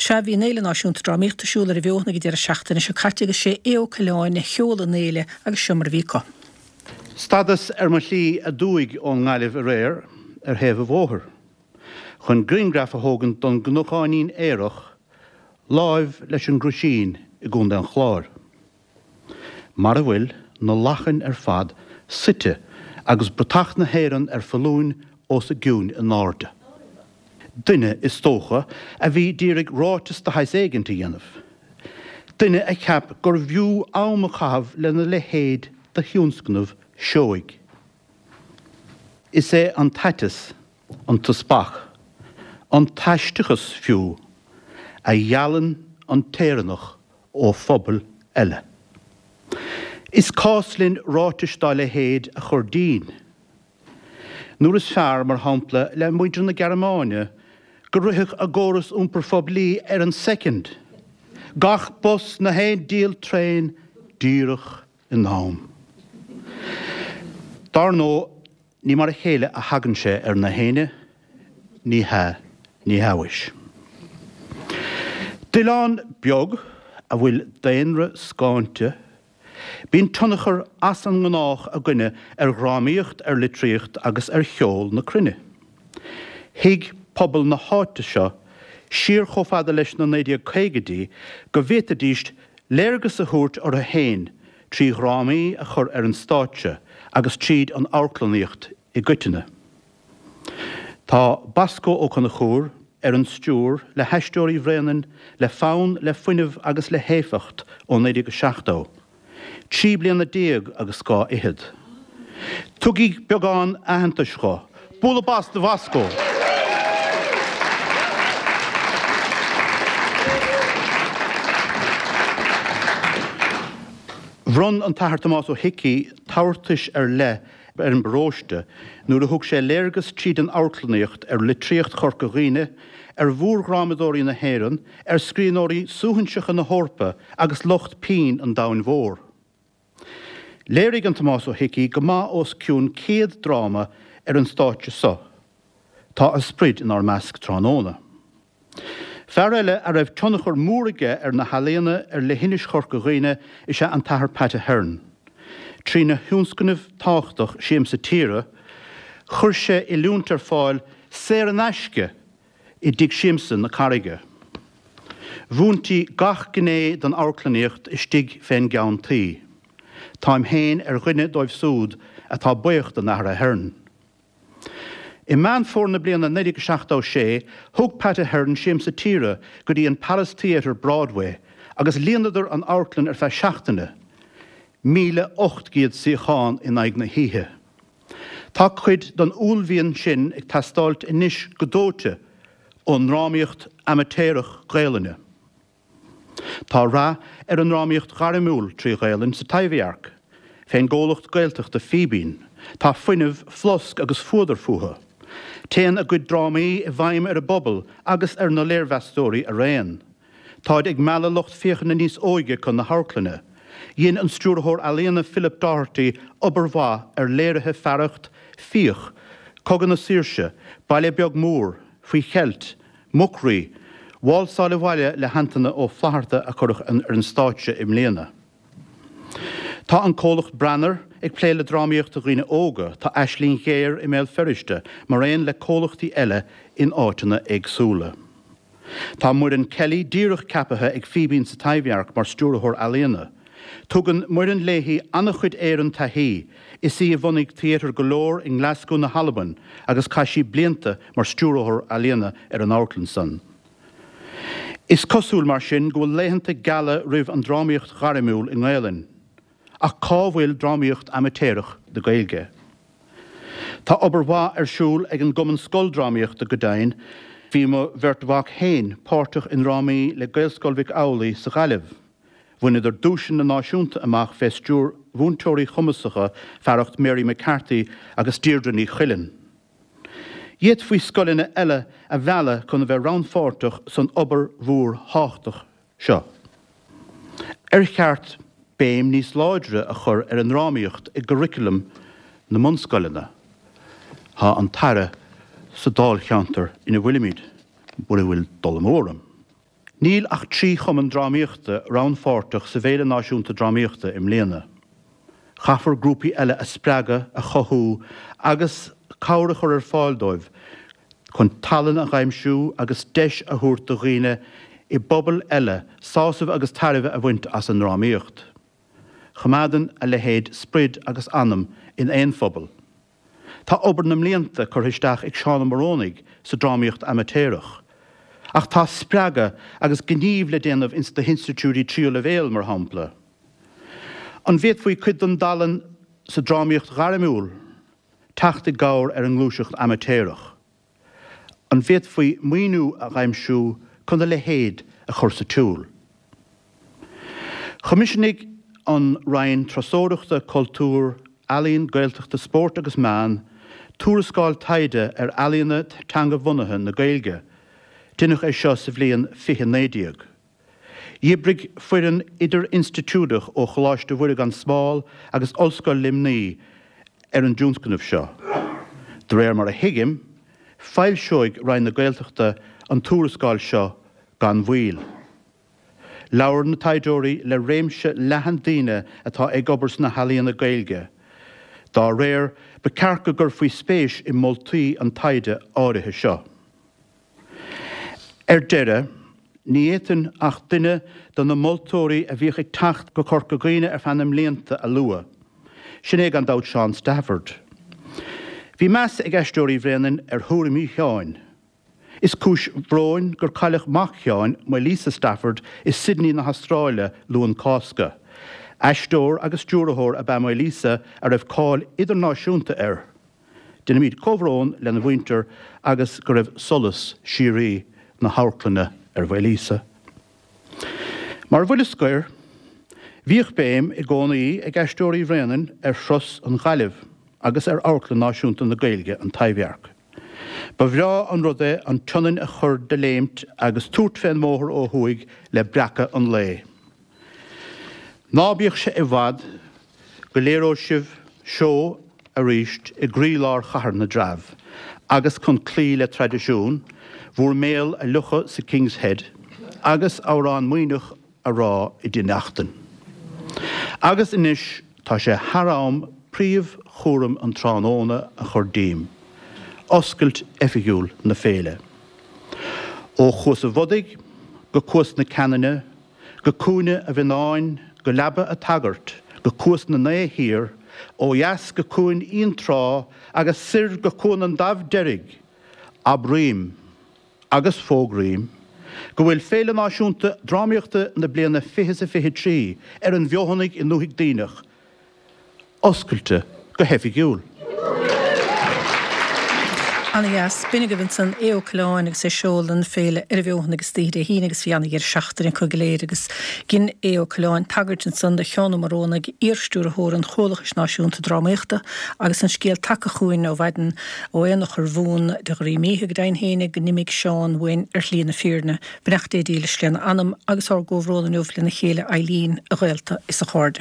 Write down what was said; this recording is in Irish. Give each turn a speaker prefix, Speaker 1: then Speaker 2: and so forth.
Speaker 1: Sea, bhí an Fhéile Náisiúnta Drámaíochta ar siúl ar an bhFeothain ag an deireadh seachtaine seo caite agus sé Aodh Ó Coileáin a sheol an fhéile agus seo mar a bhí acu.
Speaker 2: Stadas ar mo shlí aduaidh ón nGaillimh aréir ar thaobh an bhóthair chun grianghraf a thógaint don gcnocáinín aerach láimh leis an gCroisín i gContae an Chláir. Mar a bhfuil na lachain ar fad suite agus bratach na hÉireann ar foluain os a gcionn in airde. Duine, is dócha, a bhí d'iarraidh ráiteas de shaghas éigint a dhéanamh. Duine a cheap gurbh fhiú am a chaitheamh lena leithéid de thionscnamh seoigh. Is é an t-aiteas, an t-speach, an t-aisteachas fiú, a dhealaíonn an tÉireannach ó phobail eile. Is cás linn ráitis dá leithéid a chur dínn. Nuair is fearr, mar shampla, le muintir na Gearmáine go rithfeadh a gcóras iompair phoiblí ar an soicind, gach bus na haon diabhal traein díreach in am. Dar ndóigh, ní mar a chéile a thagann sé ar na héinne, ní hea, ní hea mhuis. D'oileán beag a bhfuil daonra scáinte, Bíonn tionchar as an ngnách againne ar dhrámaíocht, ar litríocht agus ar cheol na cruinne. Thuig pobal na háite seo, siar chomh fada leis na 1950idí, go bhféadfaidís léargas a thabhairt orthu féin trí dhrámaí a chur ar an stáitse agus tríd an amharclannaíocht i gcoitinne. Tá Bosco Ó Conchúir ar an stiúir le hAisteoirí Bhréanainn le fonn, le fuinneamh agus le héifeacht ó 1970, 13 bliana agus dhá fhichead. Tugaigí beagán aitheantais dho. Bualadh bas do Bhosco! Bhronn an tAthair Tomás Ó hIcí tabhartais ar leith ar an bparóiste nuair a thug sé léargas tríd an amharclannaíocht ar litríocht Chorca Dhuibhne, ar mhórdhrámadóirí na hÉireann, ar scríbhneoirí suaithinseacha na hEorpa agus lucht pinn an domhain mhóir. Léirigh an Tomás Ó hIcí go maith os cionn 100 dráma ar an stáitse so. Tá a sprid inár measc tráthnóna. Fear eile a raibh tionchar mór aige ar na healaíona ar leithinis Chorca Dhuibhne is ea an tAthair Pat Ahern. Trína thionscnamh tábhachtach Siamsa Tíre, chuir sé oiliúint ar fáil saor in aisce i dTigh Siamsa na Carraige. Mhúintí gach gné den amharclannaíocht istigh fén gceann tuí. Táim féin ar dhuine dóibh súd atá buíoch don Athair Ahern. I Meán Fómhair na bliana 1976, thug Pat Ahern Siamsa Tíre go dtí an Palace Theatre, Broadway, agus líonadar an amharclann ar feadh seachtaine, 1,800 suíochán in aghaidh na hoíche. Tá cuid den uaillmhian sin ag teastáilt anois go dóite ón ndrámaíocht amaitéarach Gaelainne. Tá rath ar an ndrámaíocht ghairmiúil trí Ghaelainn sa Taibhdhearc, fén gcomhlacht Gaeltachta Fíbín. Tá fuinneamh, flosc agus fuadar fúthu. Téann a gcuid drámaí i bhfeidhm ar an bpobal agus ar na léirmheastóirí araon. Táid ag mealladh lucht féachana níos óige chun na hamharclainne. Dhein an stiúrthóir ealaíona Philip Doherty obair mhaith ar léirithe fearacht Fiach, Cogadh na Saoirse, Baile Beag Mór, Faoi Cheilt, Muc-Rí, Válsáil Abhaile le hAntaine Ó Flatharta a cuireadh ar an stáitse i mbliana. Tá an comhlacht Branar ag plé le drámaíocht do dhaoine óga, tá Aisling Ghéar i mBéal Feirste, maraon le comhlachtaí eile in áiteanna éagsúla. Tá Muireann Kelly díreach ceapaithe ag Fíbín sa Taibhdhearc mar Stiúrthóir Ealaíona. Tugann Muireann léi an-chuid Éireann taithí, is í a bhunaigh Theatre Galore i nGlaschú na hAlban agus chaith sí blianta mar stiúrthóir ealaíona ar an amharclann san. Is cosúil mar sin go bhfuil laethanta geala roimh an drámaíocht ghairmiúil i nGaelainn. Ach cá bhfuil drámaíocht amaitéarach na Gaeilge? Tá obair mhaith ar siúl ag an gCumann Scoldrámaíochta go deimhin, bhí mo bheirt mhac féin páirteach i ndrámaí le Gaelscoil Mhic Amhlaigh sa Ghaillimh. Bhaineadar duaiseanna náisiúnta amach fé stiúir mhúinteoirí cumasacha fearacht Mary McCarthy agus Deirdre Ní Chuilinn. D'fhéadfaí scoileanna eile a mhealladh chun a bheith rannpháirteach san obair mhór thábhachtach seo. Ar cheart béim níos láidre a chur ar an ndrámaíocht i gcurriculum na mbunscoileanna? Tá an tAire sa dáilcheantar ina bhfuilimid, mura bhfuil dul amú orm. Níl ach 3 chumann drámaíochta rannpháirteach sa bhFéile Náisiúnta Drámaíochta i mbliana. Caithfear grúpaí eile a spreagadh, a chothú agus cabhair a chur ar fáil dóibh chun tallann a dh'aimsiú agus deis a thabhairt do dhaoine i bpobail eile sásamh agus tairbhe a bhaint as an ndrámaíocht. Choimeádann a leithéid sprid agus anam in aon phobal. Tá obair na mblianta curtha isteach ag Seán Ó Morónaigh sa drámaíocht amaitéarach. Ach tá spreagadh agus gníomh le déanamh ins na hinstitiúidí tríú leibhéal, mar shampla. An bhféadfaí cuid den dtallann sa drámaíocht ghairmiúil teacht i gcabhair ar an ngluaiseacht amaitéarach? An bhféadfaí maoiniú a dh'aimsiú chun a leithéid a chur sa tsiúl? Choimisiúnaigh an Roinn Turasóireachta, Cultúir, Ealaíon, Gaeltachta, Spóirt agus Meán tuarascáil taighde ar ealaíona teanga-bhunaithe na Gaeilge. Deineadh é seo sa bhliain 2019. Dh'oibrigh foireann idir-institiúideach ó Choláiste Mhuire gan Smál agus Ollscoil Luimnigh ar an dtionscnamh seo. De réir mar a thuigim, foilseoidh Roinn na Gaeltachta an tuarascáil seo gan mhoill. Labhair na taighdeoirí le réimse leathan daoine atá ag obair sna healaíona Gaeilge. Dá réir, ba ceart go gcuirfí spéis i moltaí an taighde áirithe seo. Ar deireadh, ní fhéadfainn ach duine de na moltóirí a bhíodh ag teacht go Corca Dhuibhne ar feadh na mblianta a lua. Sin é gan dabht Seán Stafford. Bhí meas ag Aisteoirí Bhréanainn ar thuairimí Sheáin. Is cúis bhróin gur cailleadh mac Sheáin, Maolíosa Stafford, i Sydney na hAstráile Luan Cásca. Aisteoir agus stiúrthóir ab ea Maolíosa a raibh cáil idirnáisiúnta air. Déanaimid comhbhrón lena mhuintir agus go raibh solas síoraí na hamharclainne ar Mhaolíosa. Mar bhuille scoir, bhíodh béim i gcónaí ag Aisteoirí Bhréanainn ar thuras an Ghaillimh agus ar Amharclann Náisiúnta na Gaeilge, An Taibhdhearc. Ba bhreá an rud é an tSionainn a chur de léimt agus tabhairt fén mbóthar ó thuaidh le breacadh an lae. Ná bíodh sé i bhfad go léireoidh sibh seó arís i gcroílár Chathair na dTreabh agus chun cloí le traidisiún, bhur mbéal a fhliuchadh sa King's Head agus amhrán Muimhneach a rá i dTigh Neachtain. Agus anois tá sé thar am príomhchúram an tráthnóna a chur díom, oscailt oifigiúil na féile. Ó Chuas a' Bhodaigh go Cuas na Ceanainne, go Cúinne a' Mhionnáin, go Leaba a' tSagairt, go Cuas na nAo Thiar, ó dheas go Cuan Fhionntrá agus soir go Cuan an Daimh Deirg, abraím, agus fógraím, go bhfuil Féile Náisiúnta Drámaíochta na bliana 2023 ar an bhFeothanaigh i nDúthaigh Duibhneach, oscailte go hoifigiúil.
Speaker 1: Ana dheas. B'in agaibh ansan Aodh Ó Coileáin agus é ag seoladh na féile ar an bhFeothanaigh istoíche Dé hAoine agus bhí ana dheireadh seachtaine acu go léir agus dhein Aodh Ó Coileáin tagairt ansan do Sheán Ó Morónaigh, iar-stiúrthóir an Chomhlachais Náisiúnta Drámaíochta agus an scéal tagtha chugainn ó mhaidin ó Aonach Urmhumhan de Dhroim Íthe go deimhin fhéinig go n-imigh Seán uainn ar shlí na fírinne. Beannacht Dé dílis lena anam agus ár gcomhbhrón inniu lena chéile Eileen, a ghaolta is a chairde.